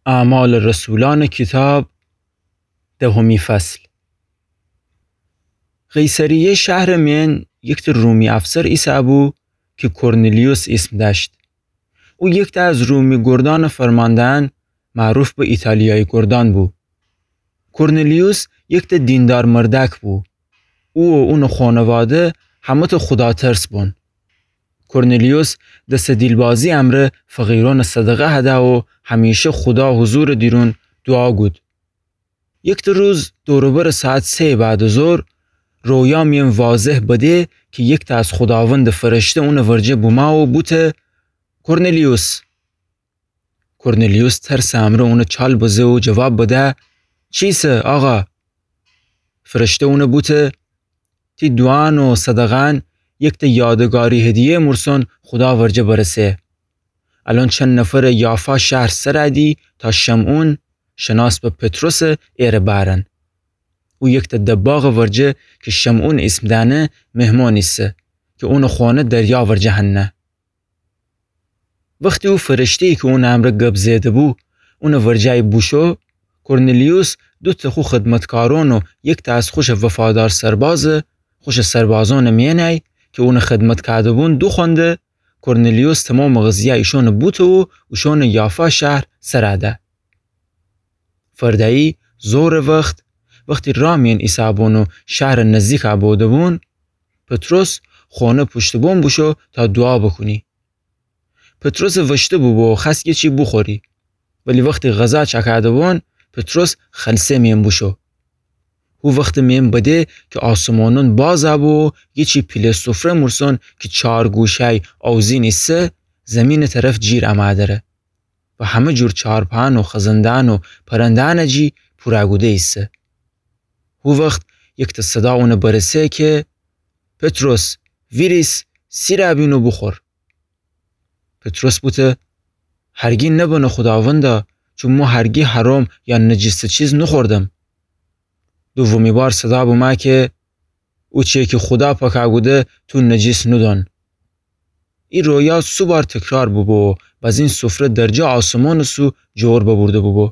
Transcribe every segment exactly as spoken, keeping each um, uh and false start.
اعمال رسولان کیتاب، دهمی فصل. قیصریه شهرٚ مئن یکته رومی افسر ایسه‌بو کی کورنلیوس ایسم دأشت. او یکته از رومی گردأنٚ فرمانده‌یأن معروف به ایتالیایی گردأن بو. کورنلیوس یکته دیندار مردأک بو. او و اونٚ خونواده همه‌ته خوداترس بون. کورنلیوس دسٚ دیلبازی امرأ فقیرأنٚ صدقه هده و همیشه خودا حضورٚ دیرون دوعا گود. یکته روز دور و برٚ ساعت سه‌یٚ بعدٚ ظهر، رویا مئن واضح بده کی یکته از خوداوندٚ فرشته اونٚ ورجه بومه و بوته: کورنلیوس! کورنلیوس ترسٚ امرأ اونٚ چال بزه و جواب بده: چی ایسه، آقا؟ فرشته اونٚ بوته: تی دوعان و صدقه‌یأن یکته یادگاری هدیه مورسون خودا ورجه برسه. الأن چند نفرٚ یافا شهر سرأدی تا شمعون، شناس به پطرسٚ، ایره بأرن. او یکته دباغٚ ورجه کی شمعون ایسم دأنه مهمان ایسه کی اونٚ خونه دریا ورجه هنه. وختی او فرشته‌یی کی اونٚ امرأ گب زئیده‌بو اونٚ ورجه‌یی بوشو، کورنلیوس دوته خو خدمتکارأن و یکته از خوشٚ وفادار سربازٚ، خوشٚ سربازأنٚ مئنی کی اونٚ خدمت کوده‌بون دوخوأنده، کورنلیوس تومامٚ قضیه ایشأنٚ بوته و اوشأنٚ یافا شهر سرأده. فردأیی ظهرٚ وخت، وختی راه مئن ایسه‌بون و شهرٚ نزدیک بوده‌بون، پطرس خونه پوشتٚ بوم بوشو تا دوعا بوکونی. پطرسٚ وشته بوبو و خوأست یه چی بوخوری. ولی وختی غذا چأکوده‌بون، پطرس خلسه مئن بوشو. هو وختٚ مئن بده کی آسمانأن بازَ بو و یه چی پیله سفره مورسون کی چار گوشه‌یی آوزین ایسه، زیمینٚ طرف جیر امه دره و همه جور چارپأن و خزنده‌یأن و پرنده‌یأن جی پورَ کوده ایسه. هو وخت یکته صدا اونَ برسه کی: پطرس، ویریس، سیرَ بین و بوخور. پطرس بوته: هرگی نبنه خوداوندا، چون مو هرگی حرام یا نجیسٚ چیز نوخوردم. دومی بار صدا بومه کی: او چیی کی خودا پاکَ کوده تو نجیس نودان. ای رویا سو بار تکرار بوبو و بزین سفره درجا آسمانٚ سو جور ببورده بوبو.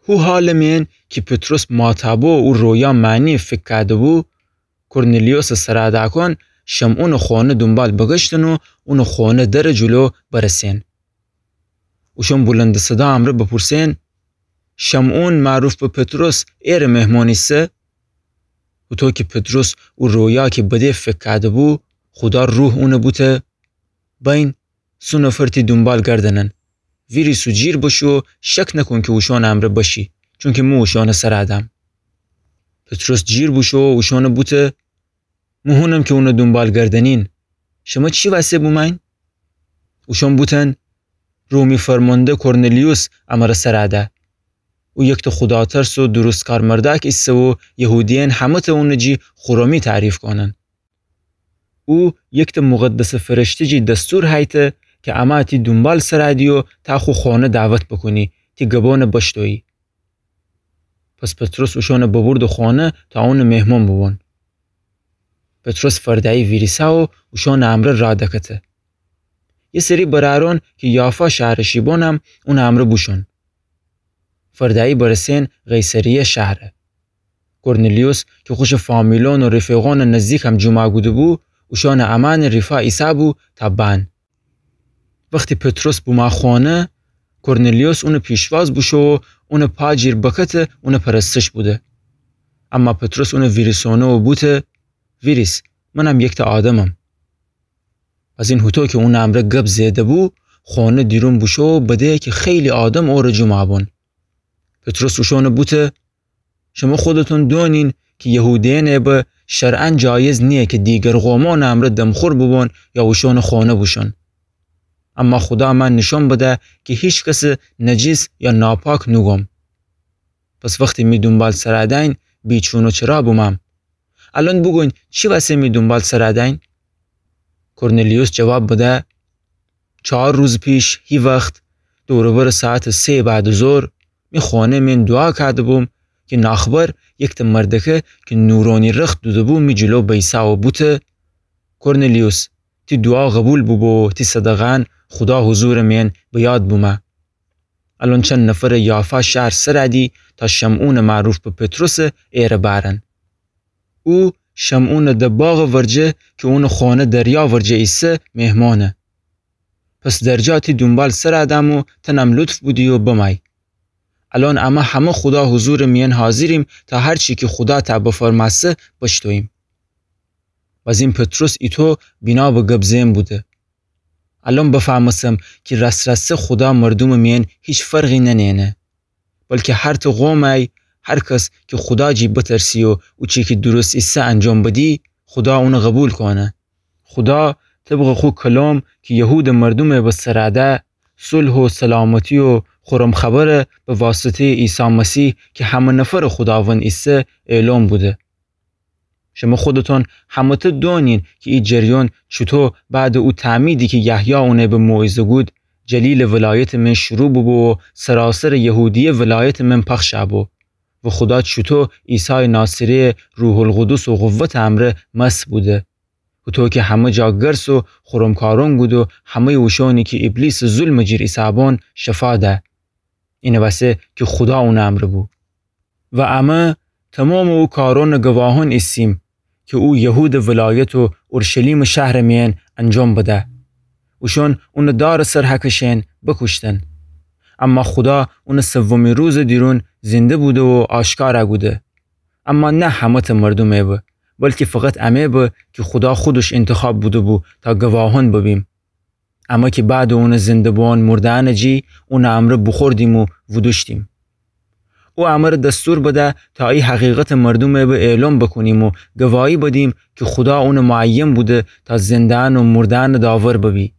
هو حالٚ مئن کی پطرس ماتابو او رویا معنی فیکر کوده‌بو، کورنلیوسٚ سرادکان شمعونٚ خانه دونبال بگشتن و اونٚ خانه درٚ جلو برسن. اوشان بلندٚ صدا امرأ بپرسن: شمعون معروف به پطرس ایرٚ مهمان ایسه؟ هوطو کی پطرس او رویا کی بده فیکر کوده‌بو، خودا روح اونَ بوته: بین، سو نفر تی دونبال گردنن. ویریس و جیر بوشو، شک نکون کی اوشانٚ امرأ بشی، چونکی مو اوشانٚ سرادم. پطرس جیر بوشو و اوشانَ بوته: مو هونم کی اونَ دونبال گردنین. شمه چی وسه بوموین؟ اوشان بوتن: رومی فرمانده کورنلیوس امرَ سراده. او یکته خوداترس و درستکار مردأک ایسه و یهودیأن همه‌ته اونٚ جی خورمی تعریف کونن. او یکته مقدسٚ فرشته جی دستور هیته کی امه تی دونبال سرادی و تا خو خانه دعوت بوکونی، تی گبانَ بشنویی. پس پطرس اوشانَ ببرده خانه تا اونٚ مهمان بوبون. پطرس فردأیی ویریسه و اوشانٚ امرأ راه دکته. یه سری برأرأن کی یافا شهرٚ شیبانم اونٚ امرأ بوشون. فردأیی برسن قیصریه شهره. کورنلیوس کی خوشٚ فامیلأن و رفیقأنٚ نزدیکم جمع کوده‌بو، اوشانٚ امأنٚ ریفا ایسه‌بو تا بأن. وختی پطرس بومه خانه، کورنلیوس اونٚ پیشواز بوشو و اونٚ پا جیر بکته اونٚ پرستش بوده. اما پطرس اونَ ویریسأنه و بوته: ویریس، منم یکته آدمم. بزین هوطو کی اونٚ امرأ گب زئیده‌بو، خانه دیرون بوشو و بده کی خیلی آدم اورَ جمع بون. پطرس اوشانَ بوته: شمه خودتون دونین کی یهودیأنٚ ایبأ شرعاً جایز نییه کی دیگر قومأنٚ امرأ دمخور بوبون یا اوشانٚ خانه بوشون. اما خودا مه نیشأن بده کی هیچ کسَ نجیس یا ناپاک نوگوم. پس وختی می دونبال سرادین، بیچون و چرا بومم؟ الأن بوگوین، چی وسه می دونبال سرادین؟ کورنلیوس جواب بده: چار روز پیش هی وخت، دور و برٚ ساعتٚ سه بعدٚ ظهر، می خانه مئن دوعا کوده‌بوم کی ناخبر یکته مردکه کی نورأنی رخت دوده‌بو می جلو بیسه و بوته: کورنلیوس، تی دوعا قوبیل بوبو و تی صدقه‌یأن خودا حضورٚ مئن به یاد بومه. الأن چند نفرٚ یافا شهرٚ سر ادی تا شمعونٚ معروف به پطرسٚ ایرٚ بأرن. او شمعونٚ ده باغٚ ورجه کی اونٚ خؤنه دریا ورجه ایسه مهمأنه. پس درجا تی دونبال سر ادم و تنم لطف بودی و بمأی. الأن امه همه خودا حضورٚ میأن حاضریم تا هر چی کی خودا تأ بفرمأسه بشتوییم. بزین پطرس ایتو بینا به گب زئن بوده. الأن بفهمستم کی راس‌راسی خودا مردومٚ میأن هیچ فرقی ننه‌نه. بلکی هر تأ قوم ای، هر کس کی خودا جی بترسی و او چی کی درست ایسه انجام بدی، خودا اون قبول کونه. خودا طبقٚ خو کلام کی یهودٚ مردومٚ به سر اده، صلح و سلامتی و خورم خبره به واسطه‌یٚ عیسی مسیح کی همه نفرٚ خوداوند ایسه، اعلام بوده. شمه خودتون همه‌تأ دؤنین کی ای جریان چوطو بعدٚ او تعمیدی کی یحیی اونه به موعظه گود، جلیلٚ ولایتٚ من شروع بوبو و سراسرٚ یهودیه ولایتٚ من پخش ابو. و خودا چوطو عیسایٚ ناصری‌یه روح‌القدس و قوتٚ امرأ مسح بوده. هوطو کی همه جا گرس و خورم کارون گود و همه‌یٚ اوشأنی کی ایبلیسٚ ظلمٚ جیر ایسه‌بون شفا ده. اینٚ وسه کی خودا اونٚ امرأ بو. و امه تومامٚ او کارونٚ گواهان ایسیم کی او یهودٚ ولایت و اورشلیمٚ شهرٚ میأن انجام بده. اوشأن اونٚ دارٚ سر هکشئن بوکوشتن. اما خودا اونٚ سومی روزٚ دیرون زنده بوده و آشکار کوده. اما نه همه‌تأ مردومٚ به، بلکی فقط امه به کی خودا خودش انتخاب بوده‌بو تا گواهان ببیم. امه کی بعدٚ اونٚ زنده بوئون مرده‌یأنٚ جی اونٚ امرأ بوخوردیم و وودوشتیم. او امرأ دستور بده تا ای حقیقتٚ مردومٚ به اعلام بوکونیم و گواهی بدیم کی خودا اونٚ معین بوده تا زنده‌یأن و مرده‌یأنٚ داور ببی.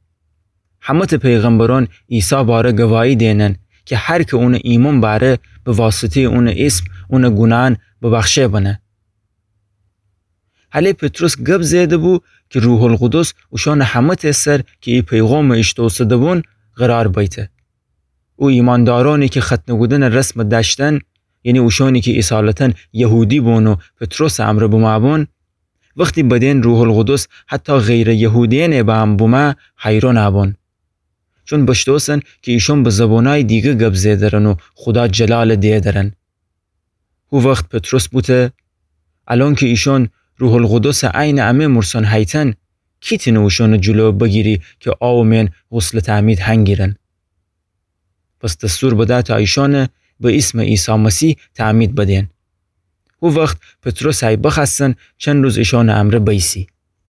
همه‌تأ پیغمبرأن عیسی باره گواهی دئنن کی هر کی اونٚ ایمأن بأره به واسطه‌یٚ اونٚ اسم اونٚ گوناهأن ببخشه بنه. هله پطرس گب زئیده‌بو کی روح‌القدس اوشأنٚ همه‌تأ سر کی ای پیغامٚ ایشتوسه‌ده‌بون قرار بیته. او ایماندارأنی کی ختنه کودنٚ رسم دأشتن، یعنی اوشأنی کی اصالتاً یهودی بون و پطرسٚ امرأ بمأبون، وختی بدئن روح‌القدس حتی غیرٚ یهودیأنٚ به هم بمأ، حیران بون. چون بشتوسن کی ایشأن به زبانأیٚ دیگه گب زئیدرن و خودا جلال دییدرن. هو وخت پطرس بوته: الأن کی ایشأن روح‌القدسٚ عینٚ امه مورسأن هیتن، کی تأنه اوشأنٚ جلو بگیری کی آوٚ مئن غسلٚ تعمید هنگیرن؟ پس دستور بده تا ایشأنه به اسمٚ عیسی مسیح تعمید بدئن. هو وخت پطرس ای بخوأستن چند روز ایشأنٚ امرأ بیسی.